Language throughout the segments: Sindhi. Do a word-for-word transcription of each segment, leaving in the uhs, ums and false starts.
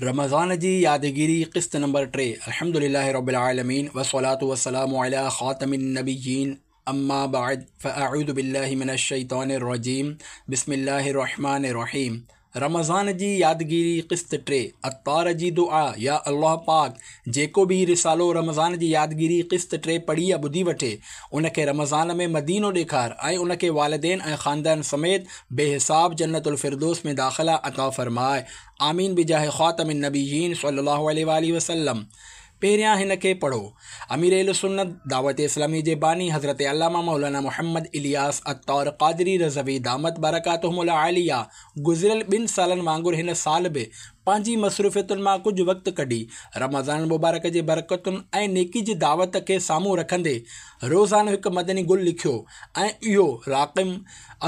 रमज़ान जी यादगिरी क़िस्त नंबर टे। अल्हम्दुलिल्लाहि रब्बिल आलमीन वस्सलातु वस्सलामु अला ख़ातमिन नबिय्यीन अम्मा बाद फ़अऊज़ु बिल्लाहि मिनश शैतानिर रजीम बिस्मिल्लाहिर रहमानिर रहीम। रमज़ान जी यादगिरी क़िस्त टे। अत्तार जी दुआ। या अल्लाह पाक जेको बि रिसालो रमज़ान जी यादगिरी क़िस्त टे पढ़ी या ॿुधी वठे उनखे रमज़ान में मदीनो ॾेखार ऐं उनखे वालिदैन ऐं ख़ानदान समेत बेहिसाब जन्नतुल फिरदौस में दाख़िला अता फ़रमाए। आमीन बिजाह ख़ातमिन नबिय्यीन सल्लल्लाहु अलैहि वसल्लम। पहिरियां हिन खे पढ़ो। अमीर अहले सुन्नत दावत इस्लामी जे बानी हज़रत अल्लामा मौलाना मोहम्मद इलियास अत्तार क़ादरी रज़वी दामत बरकातुहुमुल आलिया गुज़िरियल ॿिनि सालनि वांगुरु हिन साल बि पंहिंजी मसरूफ़ियतुनि मां कुझु वक़्तु कढी रमज़ान मुबारक जे बरकतुनि ऐं नेकी जी दावत खे साम्हूं रखंदे रोज़ानो हिकु मदनी गुल लिखियो ऐं इहो राक़िम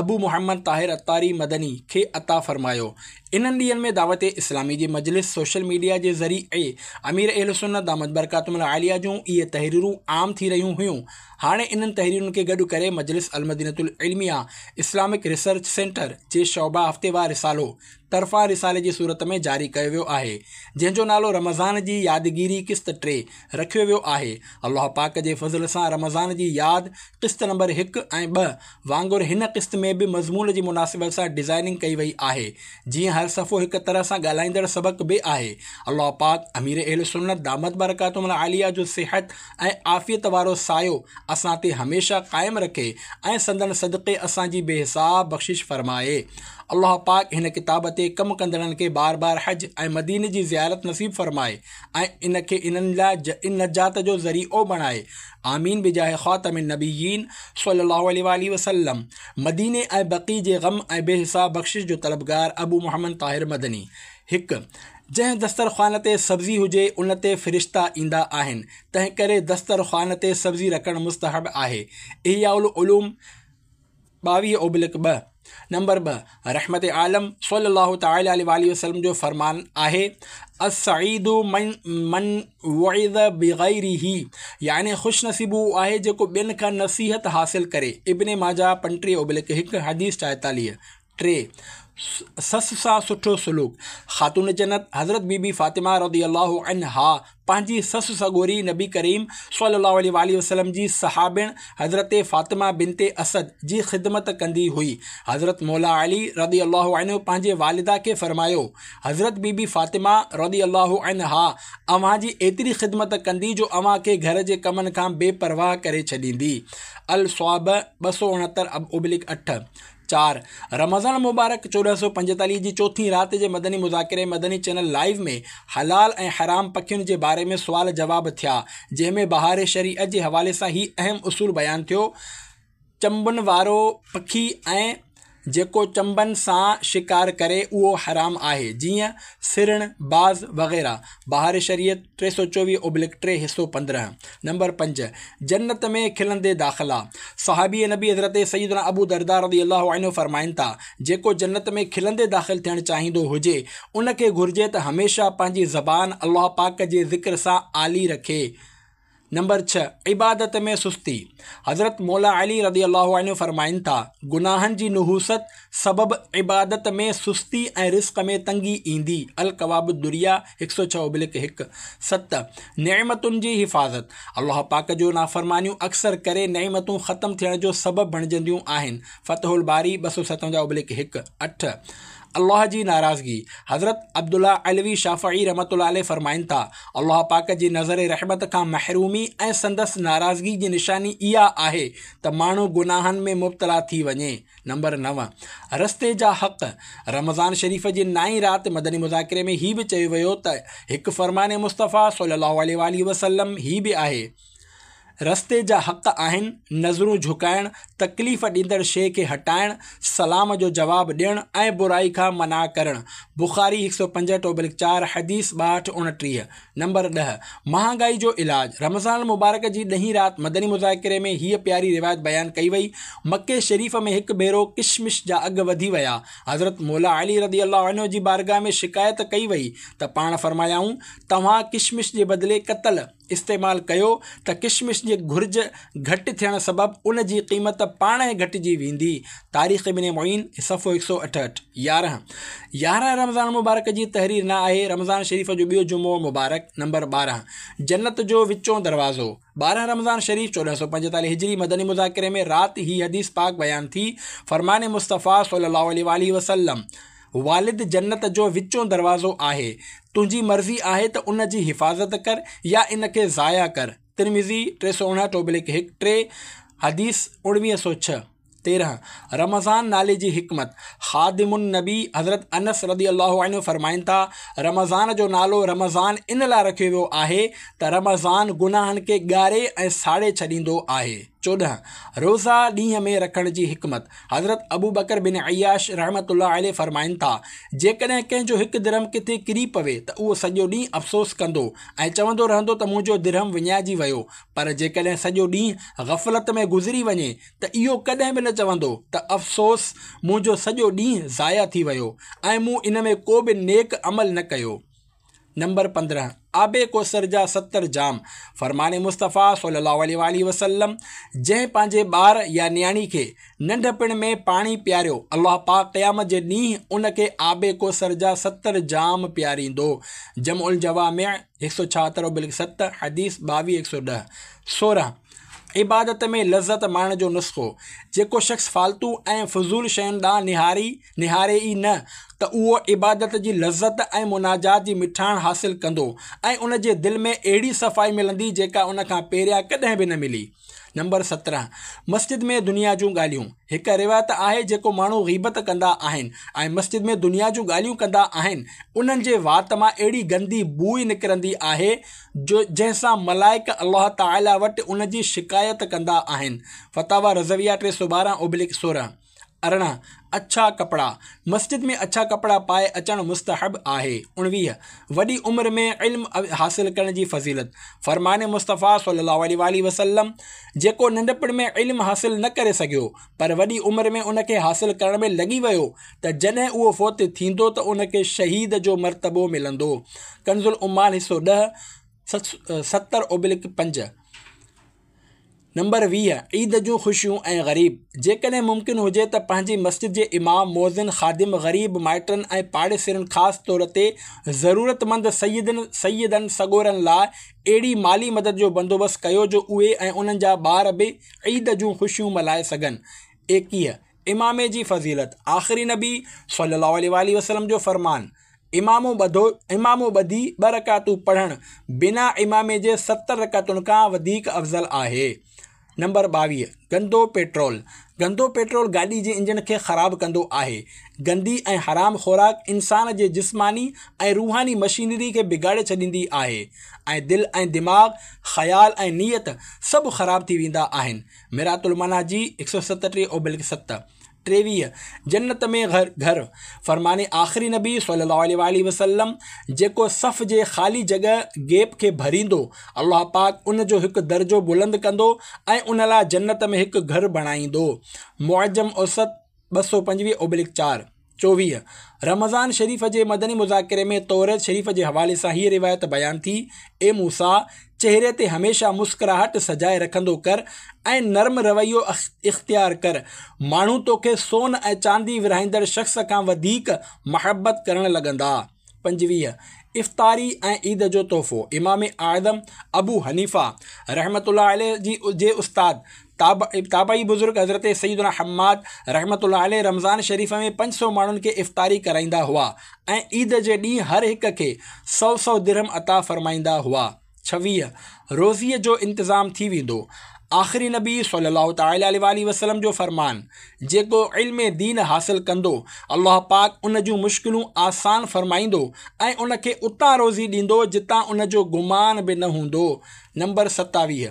अबू मोहम्मद ताहिर अत्तारी मदनी खे अता फ़रमायो। इन्हनि ॾींहंनि में दावत इस्लामी जी मजलिस सोशल मीडिया जे ज़रिए अमीर अहले सुन्नत दामत बरकातुहुमुल आलिया जूं इहे तहरीरूं आम थी रहियूं हुयूं। हाणे इन्हनि तहरीरुनि खे गॾु करे मजलिस अलमदीनतुल इल्मिया इस्लामिक रिसर्च सेंटर जे शोबा हफ़्तेवार रिसालो तरफ़ां रिसाले जी सूरत में जारी कयो वियो आहे, जंहिंजो नालो रमज़ान जी यादगिरी क़िस्त टे रखियो वियो आहे। अल्लाह पाक जे फ़ज़ल सां रमज़ान जी याद क़िस्त नंबर हिकु ऐं ॿ वांगुरु हिन क़िस्त में बि मज़मून जी मुनासिबत सां डिज़ाइनिंग कई वई आहे, जीअं हर सफ़ो हिकु तरह सां ॻाल्हाईंदड़ सबक़ बि आहे। अल्लाह पाक अमीर अहले सुन्नत दामत बरकातुहुमुल आलिया जो सिहत ऐं आफ़ियत वारो सायो असां ते हमेशह क़ाइमु रखे ऐं संदन सदक़े असांजी बेहिसाब बख़्शिश फ़रमाए। अल्लाह पाक हिन किताब ते कमु कंदड़नि खे बार बार हज ऐं मदीने जी ज़ियारत नसीब फ़रमाए ऐं इन खे इन्हनि लाइ इन नजात जो ज़रियो बणाए। आमीन बिजाह ख़ातमिन नबिय्यीन सल्लल्लाहु अलैहि वसल्लम। मदीने ऐं बक़ी जे ग़म ऐं बेहिसाब बख़्शिश जो तलबगार अबू मोहम्मद ताहिर मदनी। हिकु, जंहिं दस्तरख़्वान ते सब्ज़ी हुजे उन ते फ़रिश्ता ईंदा आहिनि, तंहिं करे दस्तरख़्वान ते सब्ज़ी रखणु मुस्तहब आहे। इहया उलूम ॿावीह ओबलिक ॿ। नंबर ॿ, रहमत आलम सल्लल्लाहु तआला अलैहि वसल्लम जो फरमान आहे, अस्सईदु मन मन वइज़ बिग़ैरिही, यानी ख़ुश नसीब उहो आहे जेको ॿियनि खां नसीहत हासिल करे। इब्न माजा पंटीह ओबलिक हिकु, हदीस चवाईतालीह। टे, ससु सां सुठो सुलूक। ख़ातून जन्नत हज़रत बीबी फ़ातिमा रज़ी अल्लाहु अन्हा पंहिंजी ससु सगोरी नबी करीम सल्लल्लाहु अलैहि वसल्लम जी सहाबिण हज़रत फ़ातिमा बिनते असद जी ख़िदमत कंदी हुई। हज़रत मौला अली रज़ी अल्लाहु अन्हु पंहिंजे वालिदा खे फ़रमायो, हज़रत बीबी फ़ातिमा रज़ी अल्लाहु अन्हा अव्हां जी एतिरी ख़िदमत कंदी जो अव्हां खे घर जे कमनि खां बेपरवाह करे छॾींदी। अल स्वाब ॿ सौ उणहतरि ओबलिक अठ। चार, रमज़ान मुबारक चोॾहं सौ पंजेतालीह जी चौथी राति जे मदनी मुज़ाकिरे मदनी चैनल लाइव में हलाल ऐं हराम पखियुनि जे बारे में सुवाल जवाब थिया, जंहिंमें बहार शरीअत जे हवाले सां ही अहम उसूल बयानु थियो। चंबनि वारो पखी ऐं जेको चंबनि सां शिकार करे उहो हराम आहे, जीअं सिरण, बाज़ वग़ैरह। बहार शरीयत टे सौ चोवीह ओबलिक टे, हिसो पंद्रहं। नंबर पंज, जन्नत में खिलंदे दाख़िला। सहाबी नबी हज़रत सैयदना अबू दरदा रज़ी अल्लाहु अन्हु फ़रमाइनि था, जेको जन्नत में खिलंदे दाख़िल थियणु चाहींदो हुजे उनखे घुर्जे त हमेशह पंहिंजी ज़बान अल्लाह पाक जे ज़िक्र सां आली रखे। नंबर छह, इबादत में सुस्ती। हज़रत मौला अली रज़ी अल्लाहु अन्हु फ़रमाइनि था, गुनाहनि जी नहूसत सबब इबादत में सुस्ती ऐं रिस्क में तंगी ईंदी। अल कवाब दुरिया हिकु सौ छह ओबलिक हिकु। सत, नेमतुनि जी हिफ़ाज़त। अल्लाह पाक जो नाफ़रमानियूं अक्सर करे नेमतूं ख़त्म थियण जो सबब बणिजंदियूं आहिनि। फ़तहुल बारी ॿ सौ सतवंजाह ओबलिक हिकु। अठ, अल्लाह जी नाराज़गी। हज़रत अब्दुल्ला अलवी शाफ़ई रहमतुल्लाह अलैह फ़रमाइनि था, अल्लाह पाक जी नज़र रहमत खां महरूमी ऐं संदसि नाराज़गी जी निशानी इहा आहे त माण्हू गुनाहनि में मुब्तला थी वञे। नंबर नव, रस्ते जा हक़। रमज़ान शरीफ़ जी नाई राति मदनी मुज़ाकिरे में ही बि चयो वियो त हिकु फ़रमान मुस्तफ़ा सल्लल्लाहु अलैहि वसल्लम ही बि आहे, रस्ते जा हक़ आहिनि नज़रूं झुकाइण, तकलीफ़ ॾींदड़ शइ खे हटाइण, सलाम जो जवाब ॾियणु ऐं बुराई खां मना करणु। बुखारी हिकु सौ पंजहठि ओबलिक चारि, हदीस ॿाहठि उणिटीह। नंबर ॾह, महांगाई जो इलाज। रमज़ान मुबारक जी ॾहीं राति मदनी मुज़ाकिरे में हीअ प्यारी रिवायत बयानु कई वई, मक्के शरीफ़ में हिकु भेरो किशमिश जा अघ वधी विया। हज़रत मौला अली रज़ी अल्लाहु अन्हु जी बारगाह में शिकायत कई वई त पाण फ़रमायाऊं, तव्हां किशमिश जे बदिले कतल इस्तेमालु कयो त किशमिश जी घुर्ज घटि थियण सबबु उन जी क़ीमत पाण ई घटिजी वेंदी। तारीख़ इब्न मुईन सफ़ो हिकु सौ अठहठि। यारहं यारहं رمضان مبارڪ جي تحرير نه آهي. رمضان شريف جو ٻيو جمعو مبارڪ. نمبر ٻارهن، جنت جو وچون دروازو. ٻارهن رمضان شريف چوڏهن سؤ پنجيتاليهه هجري مدني مذاڪري ۾ رات هي حديث پاڪ بيان ٿي. فرمان مصطفيٰ صلي الله عليه وآله وسلم، والد جنت جو وچون دروازو آهي، تنهنجي مرضي آهي ته ان جي حفاظت ڪر يا ان کي ضايع ڪر. ترمذي ٽي سؤ اڻهٺ اوبلڪ هڪ ٽي، حديث اڻويهه سؤ ڇهه. تيرهن، رمضان نالي جي حڪمت. خادم النبي حضرت انس رضي الله عنه فرمائن ٿا، رمضان جو نالو رمضان ان لاء رکيو ويو آهي ته رمضان گناهن کي ڳاري ۽ ساڙي ڇڏيندو آهي. چوڏهن، روزا ڏينهن ۾ رکڻ جي حڪمت. حضرت ابوبڪر بن عياش رحمة الله عليه فرمائن ٿا، جيڪڏهن ڪنهن جو هڪ درهم ڪٿي ڪري پوي ته اهو سڄو ڏينهن افسوس ڪندو ۽ چوندو رهندو ته منهنجو درهم وڃائجي ويو، پر جيڪڏهن سڄو ڏينهن غفلت ۾ گذري وڃي ته اهو ڪڏهن به نه چوندو ته افسوس منهنجو سڄو ڏينهن ضايع ٿي ويو ۽ مون ان ۾ ڪو به نيڪ عمل نه ڪيو. نمبر پندرهن، آب ڪوثر جا ستر جام. فرمان مصطفيٰ صلي الله عليه وآله وسلم، جنهن پنهنجي ٻار يا نياڻي کي ننڍپڻ ۾ پاڻي پياريو، الله پاڪ قيامت جي ڏينهن ان کي آب ڪوثر جا ستر جام پياريندو. جمع الجوامع هڪ سؤ ڇاهتر ابلڪ ست، حديث ٻاويهه هڪ سؤ ڏهه. سورهن، عبادت ۾ لذت ماڻڻ جو نسخو. جيڪو شخص فالتو ۽ فضول شين ڏانهن نهاري نهاري ئي نه ته اهو عبادت جي لذت ۽ مناجات جي مٺاڻ حاصل ڪندو ۽ ان جي دل ۾ اهڙي صفائي ملندي جيڪا ان کان پهريان ڪڏهن به نه ملي. نمبر سترهن، مسجد ۾ دنيا جون ڳالهيون. هڪ روايت آهي، جيڪو ماڻهو غيبت ڪندا آهن ۽ مسجد ۾ دنيا جون ڳالهيون ڪندا آهن، انهن جي وات مان اهڙي گندي بوء نڪرندي آهي جو جنهن سان ملائڪ الله تعاليٰ وٽ ان جي شڪايت ڪندا آهن. فتاويٰ رضويه ٽي سؤ ٻارهن اوبلڪ سورهن. ارڙهن، اڇا ڪپڙا. مسجد ۾ اڇا ڪپڙا پائي اچڻ مستحب آهي. اڻويهه، وڏي عمر ۾ علم حاصل ڪرڻ جي فضيلت. فرمان مصطفيٰ صلي الله عليه وآله وسلم، جيڪو ننڍپڻ ۾ علم حاصل نه ڪري سگهيو پر وڏي عمر ۾ ان کي حاصل ڪرڻ ۾ لڳي ويو ته جڏهن اهو فوت ٿيندو ته ان کي شهيد جو مرتبو ملندو. ڪنز العمال حصو ڏهه، ستر اوبلڪ پنج. نمبر ويهه، عيد جون خوشيون ۽ غريب. جيڪڏهن ممڪن هجي ته پنهنجي مسجد جي امام، مؤذن، خادم، غريب، مائٽن ۽ پاڙيسرين خاص طور تي ضرورتمند سيدن سيدن سڳورن لاء اهڙي مالي مدد جو بندوبست ڪيو جو اهي ۽ انهن جا ٻار به عيد جون خوشيون ملهائي سگهن. ايڪيهه، امامي جي فضيلت. آخري نبي صلي الله عليه وآله وسلم جو فرمان، امامو ٻڌو امامو ٻڌي ٻه رڪعتون پڙهڻ بنا امامي جي ستر رڪعتن کان وڌيڪ افضل آهي. نمبر ٻاويهه، گندو پيٽرول. گندو پيٽرول گاڏي جي انجڻ کي خراب ڪندو آهي. گندي ۽ حرام خوراڪ انسان جي جسماني ۽ روحاني مشينري کي بگاڙي ڇڏيندي آهي ۽ دل ۽ دماغ، خيال ۽ نيت سڀ خراب ٿي ويندا آهن. مرات المناجي هڪ سؤ ستٽيهه اوبلڪ ست. ٽيويهه، جنت ۾ گهر. فرمان آخري نبي صلي الله عليه وآله وسلم، جيڪو صف جي خالي جڳهه، گيپ، کي ڀريندو، الله پاڪ ان جو هڪ درجو بلند ڪندو ۽ ان لاء جنت ۾ هڪ گهر بڻائيندو. معجم اوسط ٻه سؤ پنجويهه اوبلڪ چار. چوويهه، رمضان شريف جي مدني مذاڪري ۾ توريت شريف جي حوالي سان هيء روايت بيان ٿي، اي موسيٰ! چهري تي هميشه مسڪراهٽ سجائي رکندو ڪر ۽ نرم رويو اختيار ڪر، ماڻهو توکي سون ۽ چاندي ورهائيندڙ شخص کان وڌيڪ محبت ڪرڻ لڳندا. پنجويهه، افطاري ۽ عيد جو تحفو. امام اعظم ابو حنيفه رحمة الله عليه جي استاد تابعي بزرگ حضرت سيدنا حماد رحمة الله عليه رمضان شريف ۾ پنج سؤ ماڻهن کي افطاري ڪرائيندا هئا ۽ عيد جي ڏينهن هر هڪ کي سؤ سؤ درهم عطا فرمائيندا هئا. ڇويهه، روزيء جو انتظام ٿي ويندو. آخري نبي صلي الله تعالٰي عليه واٰله وسلم جو فرمان، جيڪو علم دين حاصل ڪندو، الله پاڪ ان جون مشڪلون آسان فرمائيندو ۽ ان کي اتان روزي ڏيندو جتان ان جو گمان به نه هوندو. نمبر ستاويهه،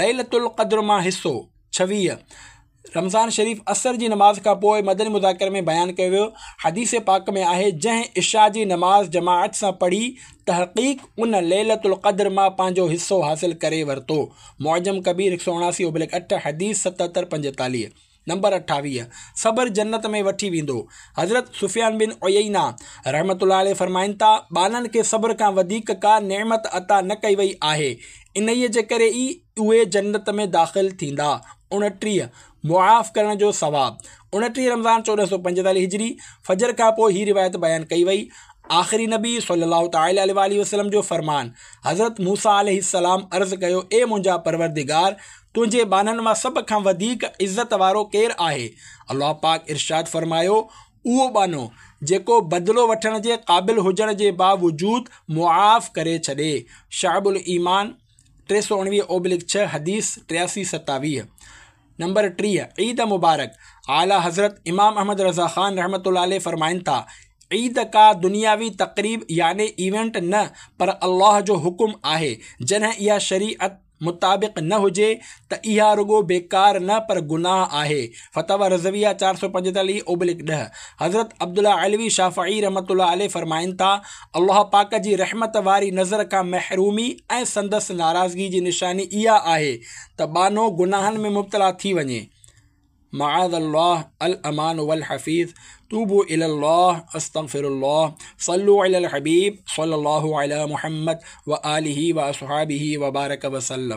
ليلة القدر مان حصو. ڇويهه، رمضان شريف عصر جي نماز کان پوء مدني مذاڪري ۾ بيان ڪيو ويو. حديث پاڪ ۾ آهي، جنهن عشاء جي نماز جماعت سان پڙهي تحقيق ان ليلة القدر مان پنهنجو حصو حاصل ڪري ورتو. معجم ڪبير هڪ سؤ اڻاسي ابلڪ اٺ، حديث ستهتر پنجيتاليهه. نمبر اٺاويهه، صبر جنت ۾ وٺي ويندو. حضرت سفيان بن عيينه رحمة الله عليه فرمائن ٿا، ٻانهن کي صبر کان وڌيڪ ڪا نعمت عطا نه ڪئي وئي آهي، انهيء جي ڪري ئي اهي جنت ۾ داخل ٿيندا. اڻٽيهه، معاف ڪرڻ جو ثواب. اڻٽيهه رمضان چوڏهن سؤ پنجيتاليهه هجري فجر کان پوءِ هي روايت بيان ڪئي وئي. آخري نبي صلي الله تعالٰي عليه واٰله وسلم جو فرمان، حضرت موسيٰ عليه السلام عرض ڪيو، اي منهنجا پروردگار، تنهنجي ٻانهن مان سڀ کان وڌيڪ عزت وارو ڪير آهي؟ الله پاڪ ارشاد فرمايو، اهو ٻانهو جيڪو بدلو وٺڻ جي قابل هجڻ جي باوجود معاف ڪري ڇڏي. شعب الايمان ٽي سؤ اڻويهه اوبلڪ ڇهه، حديث ٽياسي ستاويهه. نمبر ٽيهه، عيد مبارڪ. اعليٰ حضرت امام احمد رضا خان رحمة الله عليه فرمائن ٿا، عيد ڪا دنياوي تقريب يعني ايونٽ نه پر الله جو حڪم آهي. جڏهن اها شريعت مطابق نه هجي ته اها رڳو بيڪار نه پر گناهه آهي. فتاويٰ رضويه چار سؤ پنجيتاليهه اوبلڪ ڏهه. حضرت عبدالله علوي شافعي رحمة الله عليه فرمائن ٿا، الله پاڪ جي رحمت واري نظر کان محرومي ۽ سندس ناراضگي جي نشاني اها آهي ته ٻانهو گناهن ۾ مبتلا ٿي وڃي. معاذ الله الامان والحفيظ. توبوا الى الله، استغفر الله، صلوا على الحبيب صلى الله على محمد وآله واصحابه وبارك وسلم.